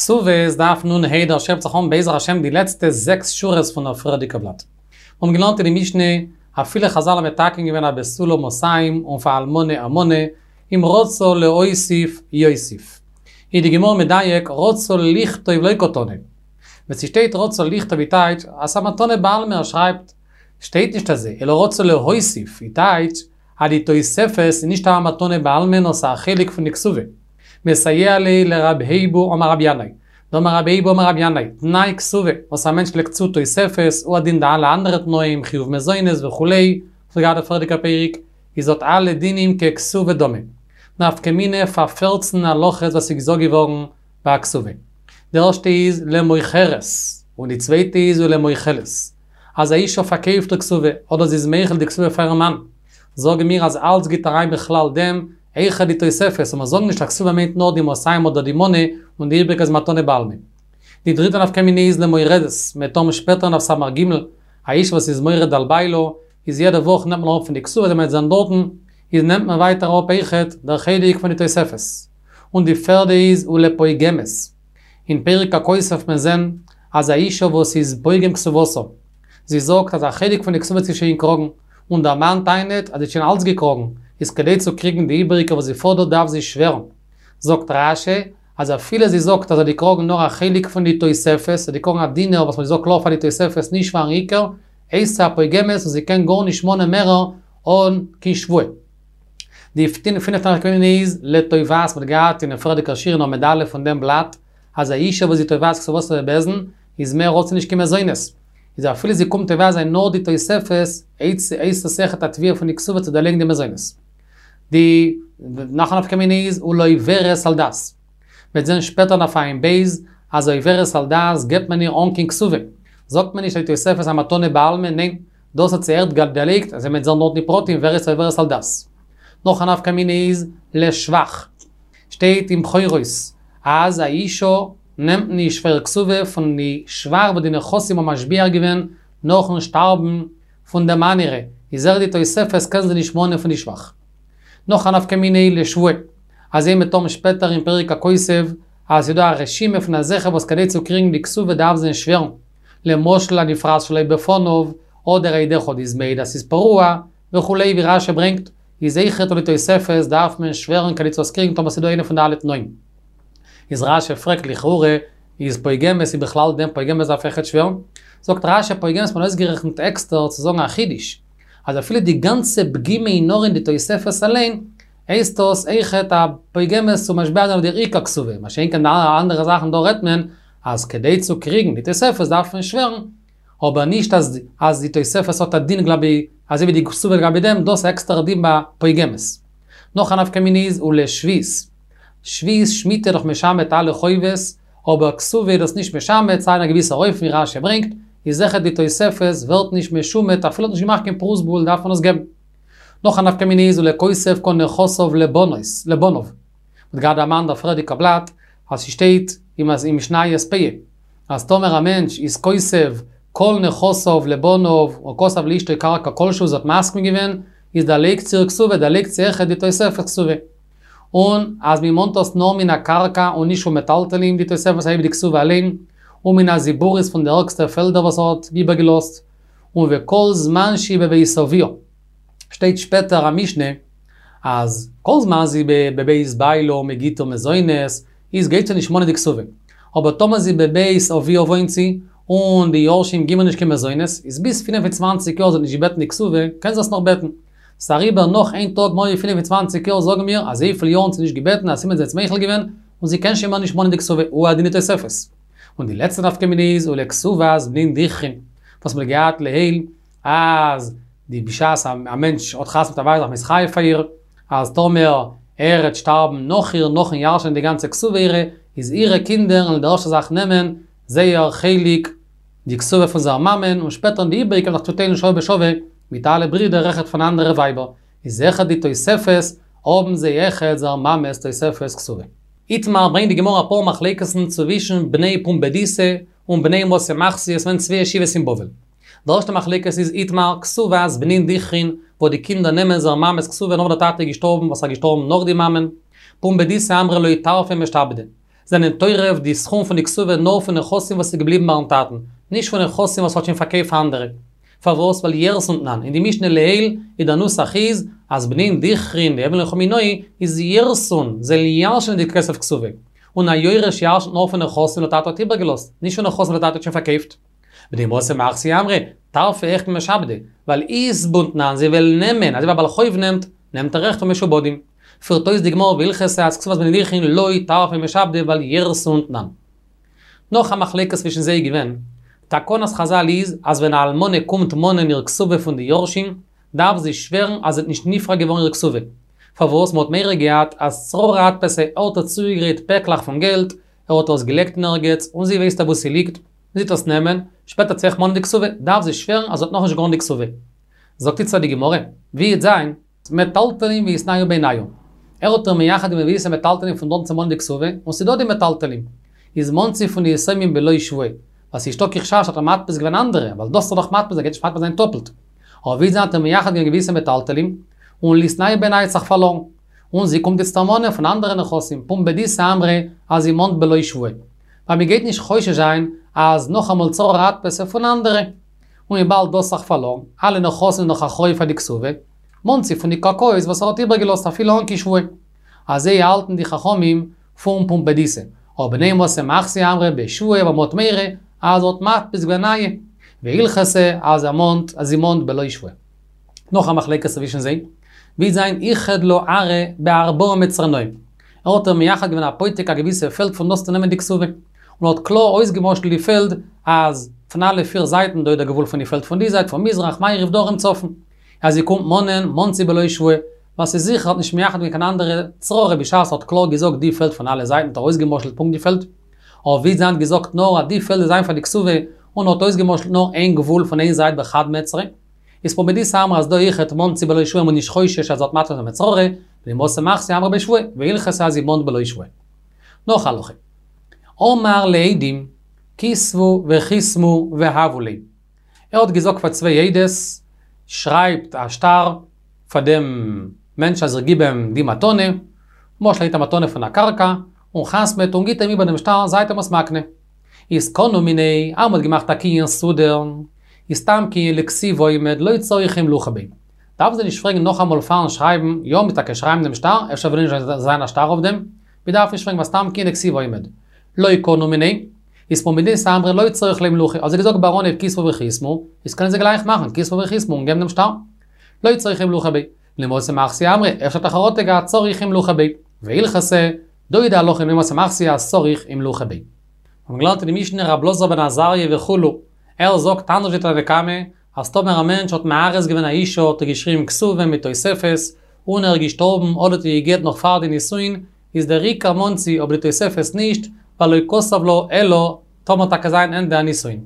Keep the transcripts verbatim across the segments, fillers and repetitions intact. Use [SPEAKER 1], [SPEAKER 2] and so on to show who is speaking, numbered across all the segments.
[SPEAKER 1] כתובות דף נ ה דער שיעור הייבט זיך אן בעזר השם די לעצטע זעקס שורות פון דער פריערדיגע בלאט. מיר האבן געלערנט אין די משנה, אפילו חזל האבן מתקן געווען א בתולה מאתים און פאר אלמנה א מנה, אם רצה להוסיף יוסיף. איז די גמרא מדייק רצה לכתוב לא קתני. ווען ס'שטייט רצה לכתוב איז טייטש אז ס'א מתנה בעלמא ער שרייבט. שטייט נישט אזוי, אלא רצה להוסיף איז טייטש אז די תוספת איז נישט א מתנה בעלמא נאר ס'א חלק פון די כתובה. מסייע ליה לרב היבו אמר רבי ינאי. דאמר רבי אייבו אמר רבי ינאי, תנאי כתובה, וואס א מענטש לייגט צו תוספת, הוא הדין די אלע אנדערע תנאים, חיוב מזונות וכו', וואס געהאט די פריערדיגע פרק, איז האט אלע דינים ככתובה דמי. נפקא מינה פאר פֿערצן הלכות וואס איז געזאגט געווארן ביי א כתובה. די ערשטע איז למוכרת, און די צווייטע איז ולמוכלת. אז א אישה פארקויפט די כתובה, אדער זי איז מוחל די כתובה פאר איר מאן, זאגן מיר אז אלץ גייט אריין בכלל דעם אויכעט די תוספת, און מיר זאגן נישט אז כתובה מיינט נאר די מאתים אדער די מנה, און די איבריגע איז מתנה בעלמא. די דריטע נפקא מינה איז למורדת, מ'וועט האבן שפעטער אין דף סמך ג, א אישה וואס איז מורד על בעלה, איז יעדע וואך נעמט מען אראפ פון די כתובה ווען מ'וועט זען דארטן, איז נעמט מען ווייטער אראפ אויכעט דער חלק פון די תוספת. און די פערדע איז ולפוגמת. אין פרק הכותב וועט מען זען אז א אישה וואס איז פוגם כתובתה, זי זאגט אז א חלק פון די כתובה האט זי שוין געקראגן, און דער מאן טענה'ט אז זי האט שוין אלץ געקראגן, איז כדי צו קריגן די איבעריגע וואס זי פאדערט דארף זי שווערן. זאגט רש י אז אפילו זי זאגט אז זי האט געקראגן נאר א חלק פון די תוספת, זי האט געקראגן א דינר וואס מ'האט געזאגט קלאר פאר די תוספת נישט פארן עיקר, הייסט זי א פוגמת און זי קען גארנישט מאנען מערער אן קיין שבועה. די פינפטע נפקא מינה איז לתובעת, מ'האט געהאט אינעם פריערדיגער שיעור אין עמוד א' פון דעם בלאט, אז א אישה וואס זי תובעת כתובתה בבית דין, איז מער האט זי נישט קיין מזונות. איז אפילו זי קומט תובע זיין נאר די תוספת, הייסט עס אויכעט א תביעה פון די כתובה צו דערלייגן די מזונות. די נאך א נפקא מינה איז ולעוברת על דת. מ'וועט זען שפעטער דף עיין ב' אז עוברת על דת געבט מען איר אן קיין כתובה. זאגט מען נישט אז די תוספת איז א מתנה בעלמא, ניין, דאס האט זי ערשט דערלייגט, אזוי מ'וועט זען דארט די פרטים ווער איז עוברת על דת. נאך א נפקא מינה איז לשבח. שטייט אין בכורות אז א אישה נעמט נישט פאר איר כתובה פון די שבח וואס די נכסים האבן משביח געווען נאכן שטארבן פון די מאן אירע, איז אויך די תוספת קען זי נישט מאנען פון די שבח. נאך א נפקא מינה איז לשבועה, אזוי מ'וועט האבן שפעטער אין פרק הכותב אז ס'איז דא א רשימה פון אזעלכע וואס כדי צו קריגן די כתובה דארף זיי שווערן, למשל הנפרעת שלא בפניו, אדער עד אחד איז מעיד אז ס'איז פרוע, וכו' ווי רש י ברענגט, איז אויכעט אויף די תוספת דארף מען שווערן כדי צו עס קריגן טאמער ס'איז דא איינע פון די אלע תנאים. איז רש י פרעגט לכאורה איז פוגמת איז בכלל דעם פוגמת דארף אויכעט שווערן? זאגט רש י פוגמת האט מען אויסגערעכנט עקסטער צו זאגן א חידוש, אז אפילו די גאנצע פגימה איז נאר אין די תוספת אליין, הייסט דאס אויכעט א פוגמת צו משביע זיין אויף דער עיקר כתובה, מה שאין כן די אלע אנדערע זאכן דא רעדט מען אז כדי צו קריגן די תוספת דארף מען שווערן, אבער נישט אז אז די תוספת האט א דין גלבי אזוי ווי די כתובה לגבי דעם, דאס איז עקסטערע דין ביי פוגמת. נאך א נפקא מינה איז ולשביעית. שביעית שמיטה דאך משמט אלע חובות, אבער כתובה איז דאס נישט משמט, סיי אין א געוויסער אופן ווי רש י ברענגט, איז אויכעט די תוספת ווערט נישט משומט אפילו האט נישט געמאכט קיין פרוזבול דארף מען עס געבן. נאך א נפקא מינה איז ולכותב כל נכסיו לבנות, לבניו. מ'האט געהאט דערמאנט דער פריערדיגע בלאט אז ס'שטייט אין משניות פאה אז טאמער א מענטש איז כותב כל נכסיו לבניו או כתב לאשתו קרקע כלשהו זי האט מסכים געווען איז דערלייגט זי איר כתובה דערלייגט זי אויכעט די תוספת כתובה. און אז מ'מאנט עס נאר מן הקרקע און נישט פון מטלטלין די תוספת אזוי ווי די כתובה אליין, און מן הזיבורית פון די ערגסטע פעלדער וואס ער האט איבערגעלאזט, און וכל זמן שהיא בבית אביה. שטייט שפעטער א משנה אז כל זמן זי בבית בעלה און מ'גיט איר מזונות איז גייט זי נישט מאנען די כתובה, אבער טאמער זי בבית אביה וואוינט זי און די יורשים גיבן איר נישט קיין מזונות איז ביז פֿינף און צוואַנציק יאר זי האט נישט געבעטן די כתובה קען זי עס נאך בעטן. ס'איז אריבער נאך איין טאג מער ווי פֿינף און צוואַנציק יאר זאגן מיר אזויפיל יארן זי נישט געבעטן א סימן זי האט מוחל געווען און זי קען שוין מער נישט מאנען די כתובה הוא הדין די תוספת. און די לעצטע נפקא מינה איז ולכתובת בנין דכרין וואס מ'האט געהאט לעיל אז די בשעת א מענטש האט חתונה מיט א ווייב איז מתחייב פאר איר, אז טאמער ער העט שטארבן נאך איר נאכן ירש'ענען די גאנצע כתובה אירע, איז אירע קינדער וועלן די ערשטע זאך נעמען זייער חלק די כתובה פון זייער מאמען און שפעטער די איבעריגע וועלן זיך צוטיילן שווה בשווה מיט אלע ברידער אויכעט פון אנדערע ווייבער, איז אויכעט די תוספת האבן זיי אויכעט זייער מאמע'ס תוספת כתובה. איתמר ברענגט די גמרא אפאר מחלוקת'ן צווישן בני פומבדיתא און בני מתא מחסיא, ס'געווען צוויי ישיבות אין בבל. די ערשטע מחלוקת איז איתמר, כתובת בנין דכרין, וואו די קינדער נעמען זייער מאמע'ס כתובה נאך דער טאטע איז געשטארבן וואס איז געשטארבן נאך די מאמען. פומבדיתא אמרי לא טרפא משתעבדי. זענען טורף די סכום פון די כתובה נאר פון נכסים וואס איז געבליבן ביים טאטן, נישט פון נכסים וואס האט שוין פארקויפט פאר אנדערע. פארוואס? ווייל ירתון תנן. אין די משנה לעיל איז דער נוסח איז, אז בנין דכרין דהויין לך מינאי איז ירתון, זיי ירש'נען די כסף כתובה. און א יורש ירש'נט נאר פון נכסים וואס דער טאטע האט איבערגעלאזט, נישט פון נכסים וואס דער טאטע האט שוין פארקויפט. בני מתא מחסיא אמרי, טרפא אויכעט ממשעבדי, ווייל יתבון תנן, זיי וועלן נעמען, אזוי ווי א בעל חוב נעמט, נעמט ער אויכעט פון משועבדים. פירט אויס די גמרא והלכתא אז כתובת בנין דכרין לא טרפא ממשעבדי ווייל ירתון תנן. נאך א מחלוקת צווישן זיי איז געווען, תקנת חזל איז אז ווען א אלמנה קומט מאנען איר כתובה פון די יורשים, דארף זי שווערן אז עס איז נישט נפרע געווארן איר כתובה. פארוואס מ'האט מורא געהאט אז צררי אדפסיה, ער האט איר צוגעגרייט פעקלעך פון געלט, ער האט עס געלייגט אין ערגעץ, און זי ווייסט אוואו ס'ליגט, זי וועט עס נעמען, שפעטער וועט זי אויך מאנען די כתובה, דארף זי שווערן אז זי האט נאכנישט געווארן די כתובה. זאגט איצטער די גמרא, ווי וועט זיין? מטלטלין ואיתנהו בינייהו. ער האט איר מייחד געווען געוויסע מטלטלין פון דארט צו מאנען די כתובה, און ס'דא די מטלטלין. איז מאנט זי פון די יתומים בלא שבועה. ווייל ס'איז נישטא קיין חשש אז ער האט מדפיס געווען אנדערע, ווייל דאס האט ער דאך מדפיס, ער גייט נישט מדפיס זיין טאפלט. אבער ווי זיין האט ער מייחד געווען געוויסע מטלטלין, און ליתנהו בינייהו האט זיך פארלארן. און זי קומט איצטער מאנען פון אנדערע נכסים, פומבדיתא אמרי אז זי מאנט בלא שבועה. ווייל מ'גייט נישט חושש זיין אז נאכאמאל צררי אדפסיה פון אנדערע. און וויבאלד דאס זיך פארלארן, אלע נכסים זענען דאך אחראי פאר די כתובה, מאנט זי פון די קרקעות וואס ער האט איבערגעלאזט אפילו אן קיין שבועה. אזוי האלטן די חכמים פון פומבדיתא. אבער בני מתי מחסיא אמרי בשבועה ווייל מ'האט מורא אז ער האט מדפיס געווען נייע. והלכתא אז ער מאנט אז זי מאנט בלא שבועה. נאך א מחלוקת צווישן זיי, ווי זיין איחד לה ארעא בארבעה מצרנאי. ער האט איר מייחד געווען א פותק א געוויסע פעלד פון דאס צו נעמען די כתובה. און האט קלאר אויסגעמשל'ט די פעלד אז פון אלע פיר זייטן דא איז דער גבול פון די פעלד פון די זייט פון מזרח מערב דרום צפון. אז זי קומט מאנען מאנט זי בלא שבועה, ווייל ס'איז זיכער האט נישט מייחד געווען קיין אנדערע צררי בשעת ער האט קלאר געזאגט די פעלד פון אלע זייטן האט ער אויסגעמשל'ט פונקט די פעלד. אבער ווי זיין האט געזאגט נאר אז די פעלד איז זיין פאר די כתובה און האט אויסגעמשל'ט נאר איין גבול פון איין זייט בחד מצרא. איז פומבדיתא אמרי אז דא אויכעט מאנט זי בלא שבועה מ'איז נישט חושש אז ער האט מדפיס געווען צררי, בני מתי מחסיא אמרי בשבועה, והלכתא אז זי מאנט בלא שבועה. נאך הלכה. אמר לעדים, כתבו וחתמו והבו לי. ער האט געזאגט פאר צוויי עדות, שרייבט א שטר פאר דעם מענטש אז איך גיב אים די מתנה, למשל ער גיט א מתנה פון א קרקע, און חתמ'עט און גיט אים איבער דעם שטר, זייט אים עס מקנה. איז קנו מיניה, אז מ'האט געמאכט א קנין סודר, איז סתם קנין לכתיבה עומד לא צריך אימלוכא ביה. דארפן זיי נישט פרעגן נאכאמאל פארן שרייבן, יא מ'טאקע שרייבן דעם שטר, אפשר וויל נישט זיין א שטר אויף דעם, מ'דארף נישט פרעגן ווייל סתם קנין לכתיבה עומד. לא קנו מיניה, איז פומבדיתא אמרי לא צריך לאימלוכא, האט זיי געזאגט ביי אנהייב כתבו וחתמו, איז קענען זיי גלייך מאכן כתבו וחתמו און געבן דעם שטר. לא צריך אימלוכא ביה. בני מתי מחסיא אמרי, אפשר האט ער חרטה געהאט צריך אימלוכא ביה. והלכתא, דא איז די הלכה אין בני מתי מחסיא אז צריך אימלוכא ביה. מיר האבן געלערנט אין די משנה רב אלעזר בן עזריה וכו', ער זאגט אנדערש ווי תנא קמא, אז טאמער א מענטש האט מארס געווען א אישה האט ער געשריבן כתובה מיט תוספת, און ער איז געשטארבן אדער האט איר גע'גט נאך פאר די נישואין, איז דער עיקר מאנט זי אבער די תוספת נישט, ווייל לא כתב לה אלא טאמער טאקע זיין ענדע הנישואין.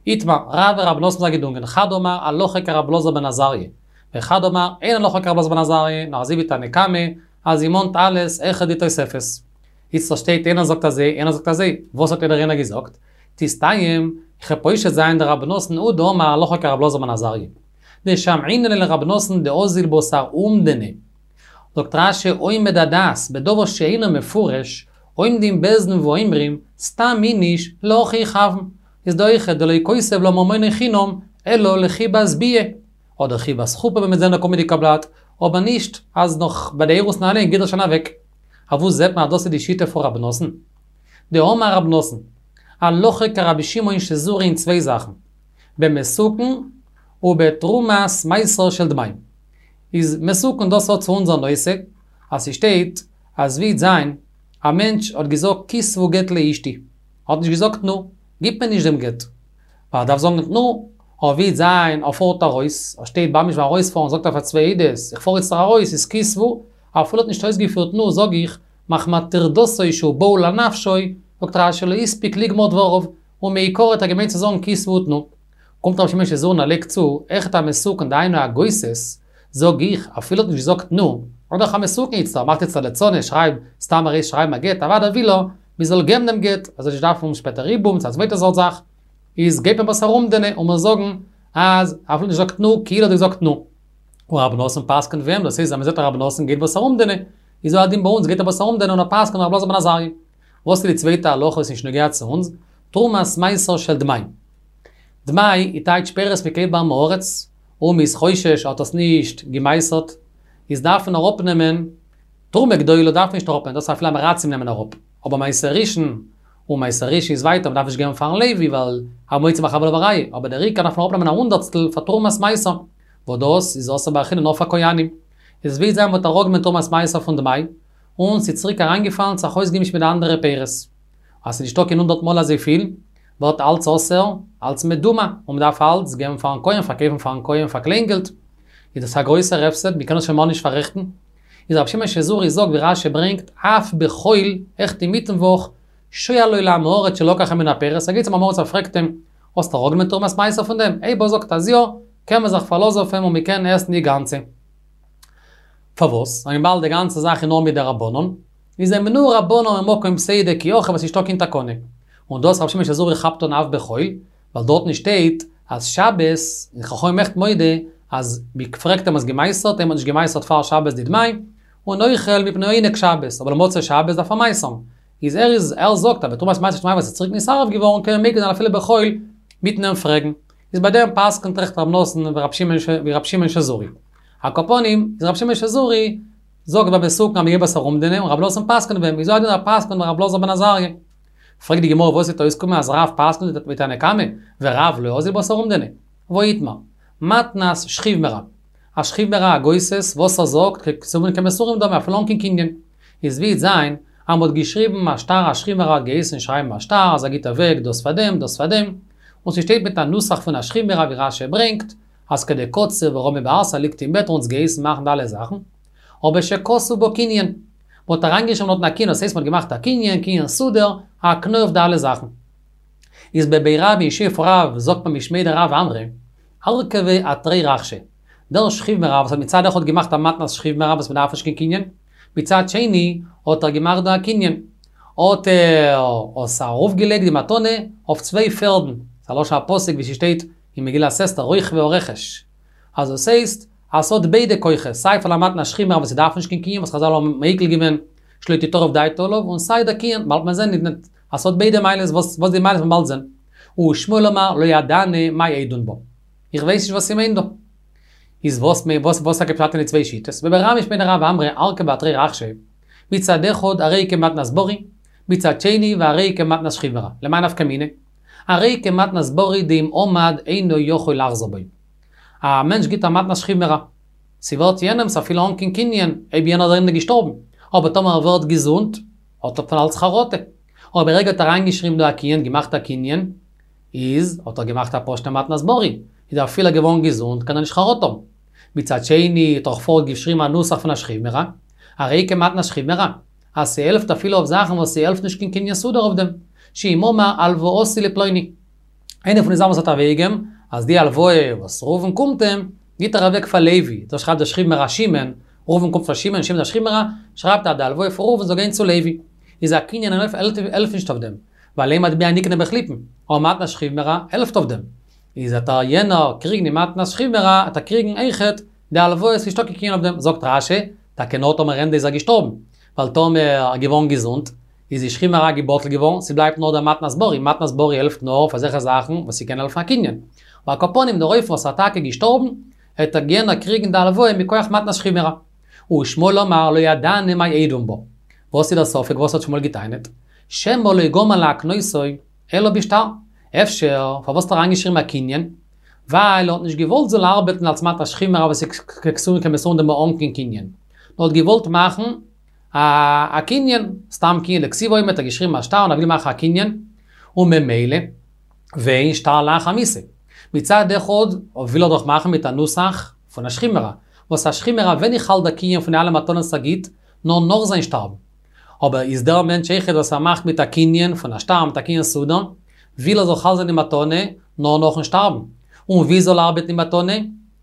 [SPEAKER 1] איתמר, רב ורב נתן זיי געדונגען, חד אמר הלכה כרב אלעזר בן עזריה, וחד אמר אין הלכה כרב אלעזר בן עזריה, נאר אזוי ווי תנא קמא, אז זי מאנט אלעס אויכעט די תוספת. איצטער שטייט איינער זאגט אזוי, איינער זאגט אזוי, וואס האט יעדער איינער געזאגט? תסתיים, כ'וועל פושט זיין דרב נתן הוא דאמר הלכה כרב אלעזר בן עזריה. דשמעינן ליה לרב נתן דאזיל בתר אומדנא. זאגט רש"י עומד הדעת בדבר שאינו מפורש, עומדים בית דין ואומרים, סתם איניש להכי יכוון. איז דא אויכעט דלא כותב לה ממונו חינם, אלא לחיבת ביאה. אדער חיבת חופה ווי מ'וועט זען אין די קומענדיגע בלאט, אבער נישט אז נאך ביי די אירוסין אליין גיט ער שוין אוועק. אוואו זעט מען אז דאס איז די שיטה פון רב נתן? דאמר רב נתן, הלכה כרבי שמעון שזורי אין צוויי זאכן, במסוכן ובתרומת מעשר של דמיים. איז מסוכן דאס האט צו אונזער נושא, אז ס'שטייט אז ווי זיין, א מענטש האט געזאגט כתבו גט לאשתי, האט נישט געזאגט תנו, גיבט מען נישט דעם גט. ווייל ער דארף זאגן תנו, אבער ווי זיין ער פארט ארויס, ער שטייט ממש ביים ארויספארן זאגט ער פאר צוויי עדות, איך פאר איצטער ארויס, איז כתבו, אפילו האט נישט אויסגעפירט תנו זאג איך, מחמת טרדתו שהוא בהול על נפשו, זאגט רש"י לא הספיק לגמור דבריו, ומעיקרא האט ער געמיינט צו זאגן כתבו ותנו. קומט רבי שמעון שזורי און ער לייגט צו, אויכעט א מסוכן דהיינו א גוסס, זאג איך, אפילו האט נישט געזאגט תנו, אדער א מסוכן איצטער, מאכט איצטער לצנות, שרייב, סתם ארויס שרייבן א גט, אוודאי וויל ער, מען זאל געבן דעם גט, ער זאל נישט דארפן שפעטער יבום, צו א צווייטע סארט זאך, איז גייט מען בתר אומדנא און מיר זאגן אז אפילו נישט געזאגט תנו, כאילו האט געזאגט תנו. און רבי נתן פסק'נט ווי אים, דאס הייסט אז מען זעט אז רבי נתן גייט בתר אומדנא, איז הוא הדין ביי אונז גייט ער בתר אומדנא און ער פסק'נט רבי אלעזר בן עזריה. וואס איז די צווייטע הלכה וואס איז נוגע צו אונז? תרומת מעשר של דמאי. דמאי איז טייטש פירות מ'קויפט ביי עם הארץ, און מ'איז חושש ער האט עס נישט געמעשר'ט, איז דארף מען אראפנעמען, תרומה גדולה דארף מען נישט אראפנעמען, דאס אפילו עם הארצים נעמען אראפ, אבער מעשר ראשון, און מעשר ראשון איז ווייטער, מ'דארף נישט געבן פארן לוי ווייל המוציא מחברו עליו הראיה, אבער דער עיקר דארף מען אראפנעמען א הונדערטסטל פאר תרומת מעשר, וואס דאס איז אסור באכילה נאר פאר כהנים. איז ווי זיי מ'האט אראפגענומען תרומת מעשר פון דמאי, און ס'איז צוריק אריינגעפאלן זיך אויסגעמישט מיט די אנדערע פירות. אז ס'איז נישטא קיין הונדערט מאל אזויפיל, ווערט אלץ אסור, אלץ מדומע, און מ'דארף אלץ געבן פארן כהן, פארקויפן פארן כהן פאר קליינגעלט. איז דאס א גרויסער הפסד, מ'קען עס שוין מער נישט פאררעכטן. איז רבי שמעון שזורי זאגט ווי רש"י ברענגט, אף בחול, אויכעט אינמיטן וואך, שואלו לעם הארץ שלקח ממנו הפירות, ער גייט צום עם הארץ ער פרעגט אים, האסט אראפגענומען תרומת מעשר פון דעם? אויב ער זאגט אז יא, קען מען זיך פארלאזן אויף אים און מ'קען עסן די גאנצע. פארוואס? וויבאלד די גאנצע זאך איז נאר מדרבנן, איז הימנוהו רבנן ממקום פסידא כי הכא ווייל ס'נישטא קיין תקנה. און דאס רבי שמעון שזורי כאפט אן אף בחול, ווייל דארטן שטייט אז שבת, און חכמים אויכעט מודה אז מ'פרעגט אים האסט געמעשר'ט, אויב מ'האט נישט געמעשר'ט פאר שבת די דמאי, און אוכל מפני עונג שבת, אבער למוצאי שבת דארף ער מעשר'ן. איז ער איז ער זאגט אז בתרומת מעשר של דמאי וואס איז צוריק נתערב געווארן קען מען מיקל זיין אפילו בחול מיטן אים פרעגן. איז ביי דעם פסק'נט אויכעט רב נתן ווי רבי שמעון שזורי. על כל פנים, איז רבי שמעון שזורי זאגט ביי מסוכן אז מ'גייט בתר אומדנא און רב נתן פסק'נט ווי אים, איז הוא הדין ער פסק'נט ווי רב אלעזר בן עזריה. פרעגט די גמרא וואס וועט אויסקומען אז רב פסק'נט ווי תנא קמא, ורב לא אזיל בתר אומדנא. והא איתמר. מתנת שכיב מרע. א שכיב מרע א גוסס וואס ער זאגט ככתובין כמסורין דמי אפילו אן קיין קנין. איז ווי וועט זיין אז מ'האט געשריבן א שטר א שכיב מרע האט געהייסן שרייבן א שטר אז ער גיבט אוועק דאס פאר דעם דאס פאר דעם, און ס'שטייט מיט א נוסח פון א שכיב מרע ווי רש"י ברענגט אז כדקציר ורמי בארסא ליגט אין בעט און אונז געהייסן מאכן די אלע זאכן, אבער שכתוב בו קנין, מ'האט אריינגעשריבן דארטן א קנין, דאס הייסט מ'האט געמאכט א קנין, קנין סודר, א הקניה אויף די אלע זאכן. איז בבי רב אין ישיבה פון רב זאגט מען משמיה דרב אמרי, ארכביה אתרי רכשי. דער שכיב מרע וואס האט מצד אחד געמאכט א מתנת שכיב מרע וואס מ'דארף נישט קיין קנין, מצד שני האט ער געמאכט דא א קנין. האט ער עס ארויפגעלייגט די מתנה אויף צוויי פערדן, ס'איז א לשון הפסוק ווי ס'שטייט אין מגילת אסתר רוכבי הרכש. אז דאס הייסט אז ס'האט ביידע כוחות, סיי פאר א מתנת שכיב מרע וואס ס'דארף נישט קיין קנין וואס חזל האבן מיקל געווען שלא תטרף דעתו עליו, און סיי דער קנין, באלד מען זען אז ס'האט ביידע מעלות, וואס וואס די מעלות מען באלד זען. ושמואל אמר לא ידענא מאי אידון בה. איך ווייס נישט וואס ס'מיינט דא. איז וואס וואס וואס טאקע פשט אין די צוויי שיטות? בבי רב משמיה דרב אמרי ארכביה אתרי רכשי, מצד אחד הרי כמתנת ברי, מצד שני והרי כמתנת שכיב מרע. למאי נפקא מינה? הרי כמתנת ברי דאם עמד אינו יכול לחזור בו. א מענטש גיט א מתנת שכיב מרע. ס'ווערט יענעמ'ס אפילו אן קיין קנין, אויב יענער איז געשטארבן. אבער טאמער ער ווערט געזונט, האט ער פון אלץ חרטה. אבער ברגע האט אריינגעשריבן דא א קנין, געמאכט א קנין, איז האט ער געמאכט א פשוטע מתנת ברי, איז ער אפילו געווארן געזונט קען ער נישט חרטה האבן. מצד שני האט ער פארט געשריבן א נוסח פון א שכיב מרע, הרי כמתנת שכיב מרע, אז ס'העלפט אפילו אויף זאכן וואס ס'העלפט נישט קיין קנין סודר אויף דעם, שאם אמר הלוואתי לפלוני. איינע פון די זאכן וואס האט אוועקגעגעבן, אז די הלוואה וואס ראובן קומט אים, גיט ער אוועק פאר לוי, דא שרייבט דער שכיב מרע שמעון, ראובן קומט פאר שמעון, שמעון דער שכיב מרע, שרייבט אז די הלוואה פון ראובן זאל גיין צו לוי. איז א קנין העלפט נישט אויף דעם, ווייל אין מטבע נקנה בחליפין, אבער מתנת שכיב מרע העלפט אויף דעם. איז וועט ער יענער קריגן די מתנת שכיב מרע, וועט ער קריגן אויכעט די הלוואה, ס'איז נישטא קיין קנין אויף דעם, זאגט רש"י, טאקע נאר טאמער ענדע איז ער געשטארבן, ווייל טאמער ער געווארן געזונט, איז די שכיב מרע בטל געווארן, ס'בלייבט נאר דער מתנת ברי, מתנת ברי העלפט נאר אויף אזעלכע זאכן וואס ס'קען העלפן א קנין. ועל כל פנים דער אופן וואס ער טאקע געשטארבן, העט ער יענער קריגן די הלוואה מכח מתנת שכיב מרע. ושמואל אמר לא ידענא מאי אידון בה. וואס איז דער ספק וואס האט שמואל געטענה'ט? שמא לא גמר להקנותו אלא בשטר. אפשר פארוואס האט ער אריינגעשריבן א קנין? ווייל ער האט נישט געוואלט זאל ארבעטן אלס מתנת שכיב מרע וואס איז ככתובין כמסורין דמי אן קיין קנין. נאר האט געוואלט מאכן א א קנין, סתם קנין דכתיב האט ער געשריבן א שטר און ער וויל מאכן א קנין, און ממילא ואין שטר לאחר מיתה. מצד אחד וויל ער דאך מאכן מיט א נוסח פון א שכיב מרע, וואס א שכיב מרע ווען איז חל דער קנין פון די אלע מתנות ער גיט, נאר נאך זיין שטארבן. אבער איז דער מענטש אויכעט וואס ער מאכט מיט א קנין פון א שטר מיט א קנין סודר, וויל ער זאל חל זיין די מתנה נאר נאכן שטארבן. און ווי זאל ארבעטן די מתנה?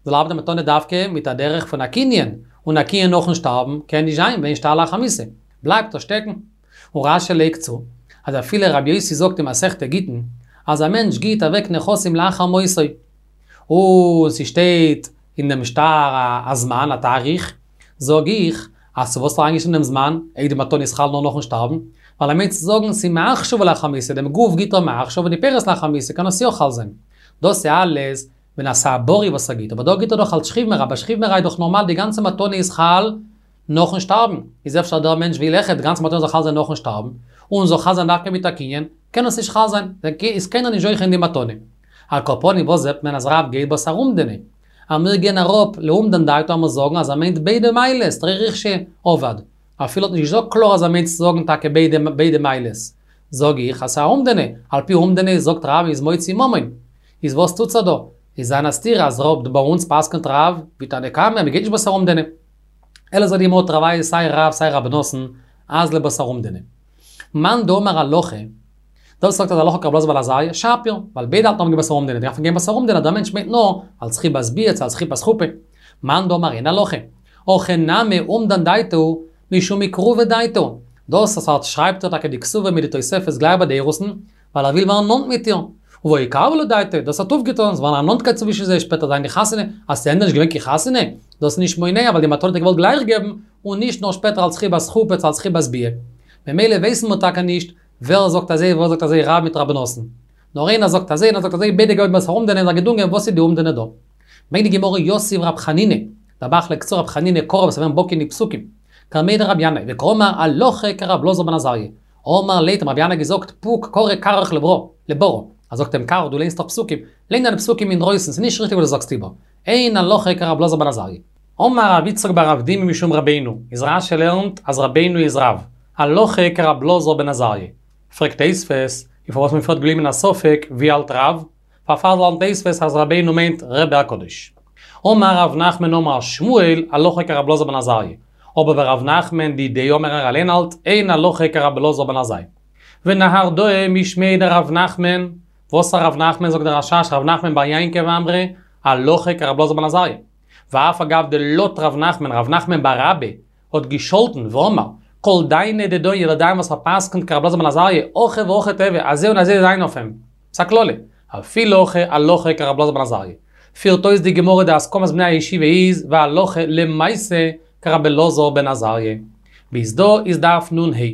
[SPEAKER 1] זאל ארבעטן די מתנה דווקא מיט א דרך פון א קנין, און א קנין נאכן שטארבן קען נישט זיין ואין שטר לאחר מיתה, בלייבט ער שטעקן. און רש"י לייגט צו, אז אפילו רבי יוסי זאגט אין מסכת גיטין, אז א מענטש גיט אוועק נכסים לאחר מותו, און ס'שטייט אין דעם שטר א זמן, א תאריך, זאג איך, אז צו וואס האט ער אריינגעשריבן דעם זמן, אויב די מתנה איז חל נאר נאכן שטארבן, ווייל ער מיינט צו זאגן ס'איז מעכשיו ולאחר מיתה, דעם גוף גיט ער מעכשיו און די פירות לאחר מיתה קען עס יא חל זיין. דאס איז אלעס ווען עס איז א בריא וואס ער גיט, אבער דא גיט ער דאך אלס שכיב מרע, ביי שכיב מרע איז דאך נארמאל די גאנצע מתנה איז חל נאכן שטארבן, איז אפשר דער מענטש וויל אויכעט די גאנצע מתנה זאל חל זיין נאכן שטארבן, און זאל חל זיין דווקא מיט א קנין, קען עס נישט חל זיין, איז קיינער נישט זוכה אין די מתנה. על כל פנים וואס זעט מען אז רב גייט בתר אומדנא? אז מיר גייען אראפ לאומדן דעתו עמיר זאגן אז ער מיינט ביידע מעלות, תרי ריכשי עבד. אפילו האט נישט געזאגט קלאר אז ער מיינט צו זאגן טאקע ביידע ביידע מעלות. זאג איך אז ס'איז א אומדנא, על פי אומדנא זאגט רב איז מוציא ממון. איז וואס טוט זיך דא? איז זיין א סתירה אז רב ביי אונז פסק'נט רב ווי תנא קמא אז מ'גייט נישט בתר אומדנא. אלא זאגט די גמרא תרוייהו סיי רב סיי רבי נתן אזלא בתר אומדנא. מאן דאמר הלכה, דער וואס זאגט אז הלכה כרבי אלעזר בן עזריה, שפיר, ווייל ביידע האלטן אז מ'גייט בתר אומדנא, דארף מען גיין בתר אומדנא, דער מענטש מיינט נאר אלס חיבת ביאה צו אלס חיבת חופה. מאן דאמר אין הלכה, הכא נמי אומדן דעתו משום אקרובי דעתו, דאס אז ער שרייבט איר טאקע די כתובה מיט די תוספת גלייך ביי די אירוסין, ווייל ער וויל ווערן נאנט מיט איר, ובעי איקרבא לה דעתיה, דאס האט אויפגעטון, ס'איז געווארן א נאנטקייט צווישן זיי, שפעטער זיין די חתונה, אז ס'איז ענדערש נישט געווען קיין חתונה, דאס איז נישט מונע ווייל די מתנה האט ער געוואלט גלייך געבן, און נישט נאר שפעטער אלס חיבת חופה צו אלס חיבת ביאה. ממילא ווייסן מיר טאקע נישט ווער זאגט אזוי ווער זאגט אזוי רב מיט רבי נתן. נאר איינער זאגט אזוי איינער זאגט אזוי ביידע גייען בתר אומדנא איז א געדונגען וואס איז די אומדנא דא. ברענגט די גמרא יתיב רב חנינא, דער ב"ח לייגט צו רב חנינא קרא וואס איז געווען בקי אין די פסוקים, קמיה דרבי ינאי, וקאמר הלכה כרבי אלעזר בן עזריה, אמר ליה האט אים רבי ינאי געזאגט פוק קרי כרך לברא, לברא, ער זאגט אים כרך דו ליינסט דאך פסוקים, ליין דיינע פסוקים אינדרויסן, ס'איז נישט ריכטיג וואס דו זאגסט איבער, אין הלכה כרבי אלעזר בן עזריה. אמר רב יצחק בר אבדימי משום רבינו, איז רש"י לערנט אז רבינו איז רב, הלכה כרבי אלעזר בן עזריה. פרעגט תוספות, און פארוואס מען פריערט געבליבן אין א ספק ווי האלט רב? פארפאר לערנט תוספות אז רבינו מיינט רבי הקדוש. אמר רב נחמן אמר שמואל הלכה כרבי אלעזר בן עזריה. אבער ורב נחמן דידיה אמר ער אליין האלט אין הלכה כרבי אלעזר בן עזריה. ונהרדעא משמיה דרב נחמן, וואס רב נחמן זאגט דער רש"ש רב נחמן בר יעקב אמרי הלכה כרבי אלעזר בן עזריה. ואף על גב דלט רב נחמן, רב נחמן בר אבא האט געשאלטן ואמר, כל דיינא דדיין יעדער דיין וואס פסק'נט כרבי אלעזר בן עזריה, הכי והכי תיהוי, אזוי און אזוי זיין אויף אים. ס'א קללה. אפילו הכי הלכה כרבי אלעזר בן עזריה. פירט אויס די גמרא די הסכמת בני הישיבה איז והלכה למעשה כרבי אלעזר בן עזריה. ביז דא איז דף נ"ה.